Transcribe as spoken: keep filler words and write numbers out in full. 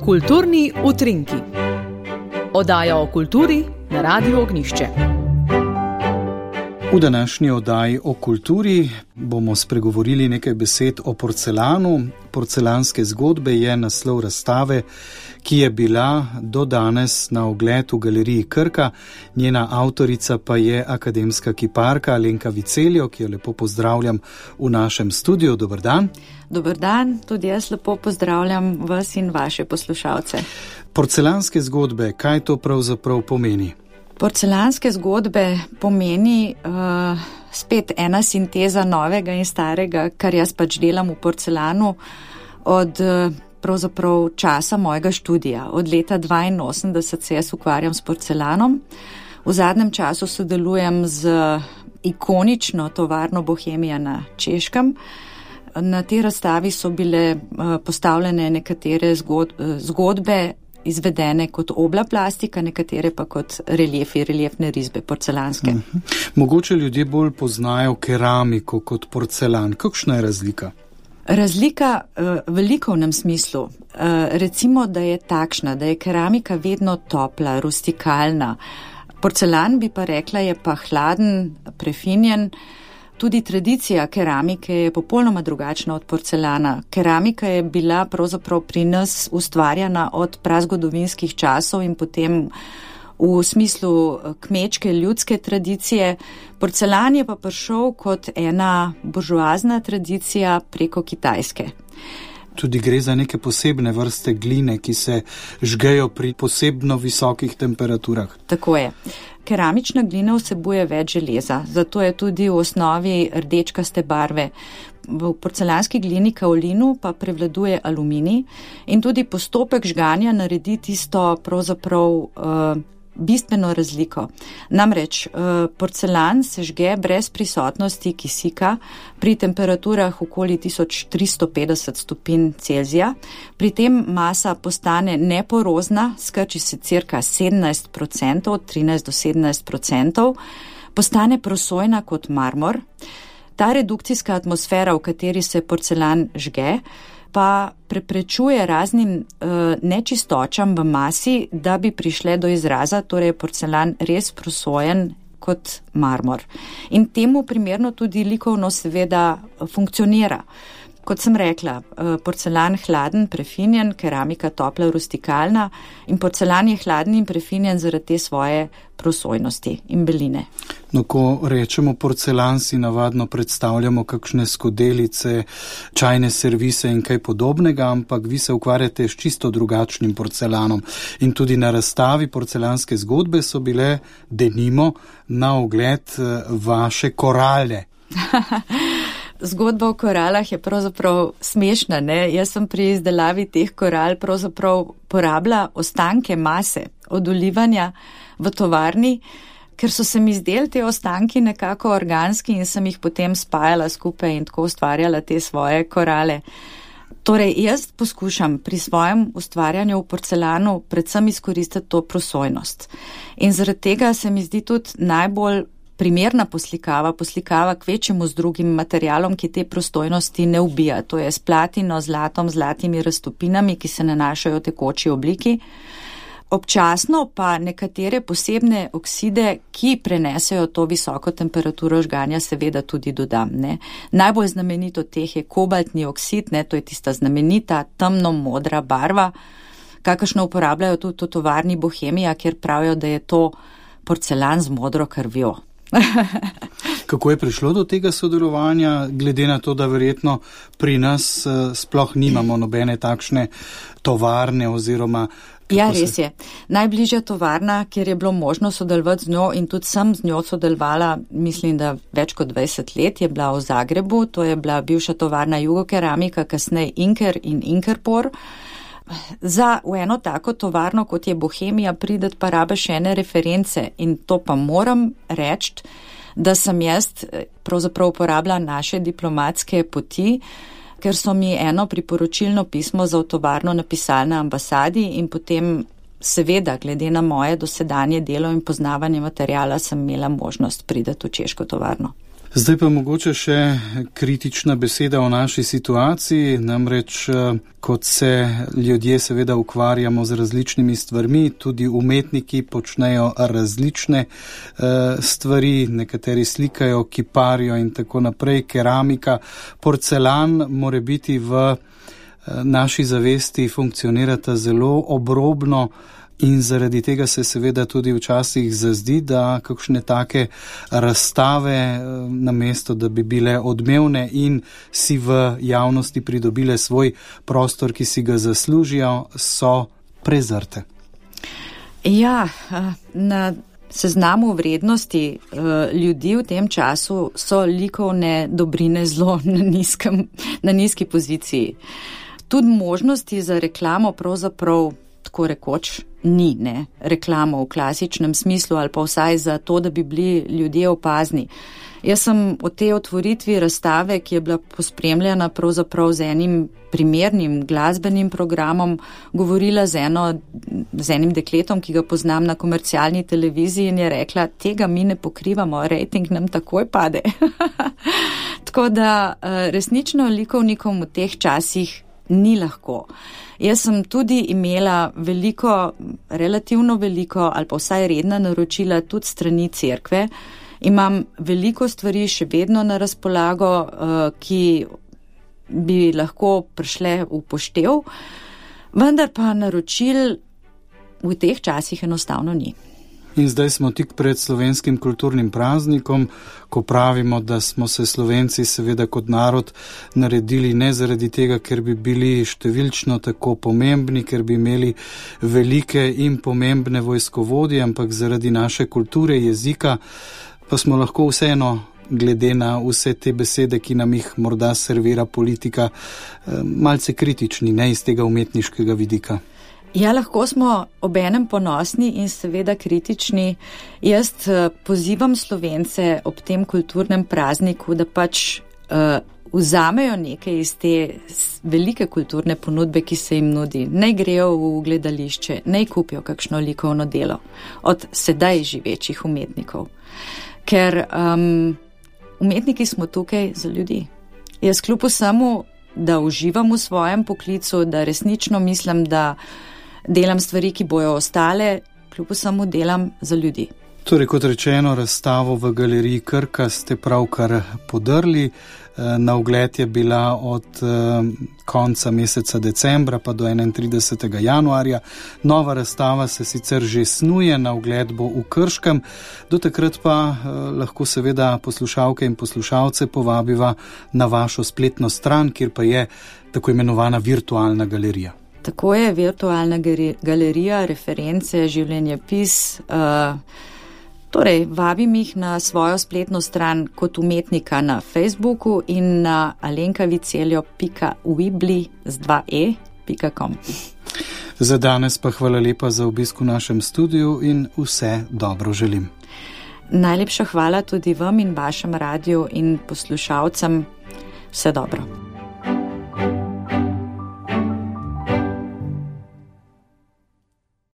Kulturni utrinki. Oddaja o kulturi na Radiu Ognjišče. V današnji oddaji o kulturi bomo spregovorili nekaj besed o porcelanu. Porcelanske zgodbe je naslov razstave, ki je bila do danes na ogled v galeriji Krka. Njena avtorica pa je akademska kiparka Alenka Viceljo, ki jo lepo pozdravljam v našem studiu. Dober dan. Dober dan, tudi jaz lepo pozdravljam vas in vaše poslušalce. Porcelanske zgodbe, kaj to pravzaprav pomeni? Porcelanske zgodbe pomeni uh, spet ena sinteza novega in starega, kar jaz pač delam v porcelanu od uh, pravzaprav časa mojega študija. Od leta dvainosemdeset se jaz ukvarjam s porcelanom. V zadnjem času sodelujem z ikonično tovarno Bohemija na Češkem. Na tej razstavi so bile uh, postavljene nekatere zgod, uh, zgodbe, izvedene kot obla plastika, nekatere pa kot reliefi, reliefne risbe porcelanske. Uh-huh. Mogoče ljudje bolj poznajo keramiko kot porcelan. Kakšna je razlika? Razlika uh, v likovnem smislu. Uh, recimo, da je takšna, da je keramika vedno topla, rustikalna. Porcelan, bi pa rekla, je pa hladen, prefinjen. Tudi tradicija keramike je popolnoma drugačna od porcelana. Keramika je bila pravzaprav pri nas ustvarjena od prazgodovinskih časov in potem v smislu kmečke, ljudske tradicije. Porcelan je pa prišel kot ena buržoazna tradicija preko Kitajske. Tudi gre za neke posebne vrste gline, ki se žgejo pri posebno visokih temperaturah. Tako je. Keramična glina vsebuje več železa, zato je tudi v osnovi rdečkaste barve. V porcelanski glini kaolinu pa prevladuje aluminij in tudi postopek žganja naredi tisto pravzaprav uh, bistveno razliko. Namreč uh, porcelan se žge brez prisotnosti kisika pri temperaturah okoli tisoč tristo petdeset stopinj Celzija. Pri tem masa postane neporozna, skrči se cirka sedemnajst procentov, trinajst do sedemnajst procentov, postane prosojna kot marmor. Ta redukcijska atmosfera, v kateri se porcelan žge, pa preprečuje raznim uh, nečistočam v masi, da bi prišle do izraza, torej je porcelan res prosojen kot marmor. In temu primerno tudi likovno seveda funkcionira. Kot sem rekla, porcelan hladen, prefinjen, keramika topla, rustikalna in porcelan je hladen in prefinjen zaradi te svoje prosojnosti in beline. No, ko rečemo porcelan, si navadno predstavljamo kakšne skodelice, čajne servise in kaj podobnega, ampak vi se ukvarjate s čisto drugačnim porcelanom. In tudi na razstavi porcelanske zgodbe so bile denimo na ogled vaše korale. Zgodba o koralah je pravzaprav smešna, ne? Jaz sem pri izdelavi teh koral pravzaprav porabila ostanke mase od olivanja v tovarni, ker so se mi zdeli te ostanki nekako organski in sem jih potem spajala skupaj in tako ustvarjala te svoje korale. Torej, jaz poskušam pri svojem ustvarjanju v porcelanu predvsem izkoristiti to prosojnost. In zaradi tega se mi zdi tudi najbolj primerna poslikava, poslikava kvečemu z drugim materialom, ki te prostojnosti ne ubija. To je s platino, zlatom, zlatimi raztopinami, ki se nanašajo v tekoči obliki. Občasno pa nekatere posebne okside, ki prenesejo to visoko temperaturo žganja, seveda tudi dodam. Ne. Najbolj znamenito teh je kobaltni oksid, ne, to je tista znamenita temno-modra barva, kakršno uporabljajo tudi v tovarni Bohemija, kjer pravijo, da je to porcelan z modro krvjo. Kako je prišlo do tega sodelovanja, glede na to, da verjetno pri nas uh, sploh nimamo nobene takšne tovarne oziroma... Ja, res je. Najbližja tovarna, kjer je bilo možno sodelovati z njo in tudi sem z njo sodelovala, mislim, da več kot dvajset let, je bila v Zagrebu, to je bila bivša tovarna Jugokeramika, kasneje Inker in Inkerpor. Za v eno tako tovarno, kot je Bohemija, prideti pa rabe še ene reference in to pa moram reči, da sem jaz pravzaprav uporabila naše diplomatske poti, ker so mi eno priporočilno pismo za v tovarno napisali na ambasadi in potem seveda, glede na moje dosedanje delo in poznavanje materijala, sem imela možnost prideti v češko tovarno. Zdaj pa mogoče še kritična beseda o naši situaciji, namreč kot se ljudje seveda ukvarjamo z različnimi stvarmi, tudi umetniki počnejo različne stvari, nekateri slikajo, kiparijo in tako naprej, keramika, porcelan more biti v naši zavesti funkcionirata zelo obrobno. In zaradi tega se seveda tudi včasih zazdi, da kakšne take razstave, namesto da bi bile odmevne in si v javnosti pridobile svoj prostor, ki si ga zaslužijo, so prezrte. Ja, na seznamu vrednosti ljudi v tem času so likovne dobrine zelo na, nizkem, na nizki poziciji. Tudi možnosti za reklamo pravzaprav tako rekoč ni, ne, reklamo v klasičnem smislu ali pa vsaj za to, da bi bili ljudje opazni. Jaz sem o tej otvoritvi razstave, ki je bila pospremljena pravzaprav z enim primernim glasbenim programom, govorila z, eno, z enim dekletom, ki ga poznam na komercialni televiziji in je rekla, tega mi ne pokrivamo, rejting nam takoj pade. Tako da resnično likovnikom v teh časih ni lahko. Jaz sem tudi imela veliko, relativno veliko ali pa vsaj redna naročila tudi strani cerkve. Imam veliko stvari še vedno na razpolago, ki bi lahko prišle v poštev, vendar pa naročil v teh časih enostavno ni. In zdaj smo tik pred slovenskim kulturnim praznikom, ko pravimo, da smo se Slovenci seveda kot narod naredili ne zaradi tega, ker bi bili številčno tako pomembni, ker bi imeli velike in pomembne vojskovodje, ampak zaradi naše kulture, jezika, pa smo lahko vseeno, glede na vse te besede, ki nam jih morda servira politika, malce kritični, ne iz tega umetniškega vidika. Ja, lahko smo obenem ponosni in seveda kritični. Jaz pozivam Slovence ob tem kulturnem prazniku, da pač uh, vzamejo nekaj iz te velike kulturne ponudbe, ki se jim nudi. Naj grejo v gledališče, naj kupijo kakšno likovno delo od sedaj živečih umetnikov. Ker um, umetniki smo tukaj za ljudi. Jaz kljub vsemu, da uživam v svojem poklicu, da resnično mislim, da delam stvari, ki bojo ostale, kljub vsemu delam za ljudi. Torej, kot rečeno, razstavo v galeriji Krka ste pravkar podrli. Na ogled je bila od konca meseca decembra pa do enaintridesetega januarja. Nova razstava se sicer že snuje, na ogled bo v Krškem. Do takrat pa lahko seveda poslušalke in poslušalce povabiva na vašo spletno stran, kjer pa je tako imenovana virtualna galerija. Tako je, virtualna galerija, reference, življenjepis. Uh, torej, vabim jih na svojo spletno stran kot umetnika na Facebooku in na alenkaviceljo pika wibli z dva e pika com. Za danes pa hvala lepa za obisk v našem studiu in vse dobro želim. Najlepša hvala tudi vam in vašem radiju in poslušalcem. Vse dobro.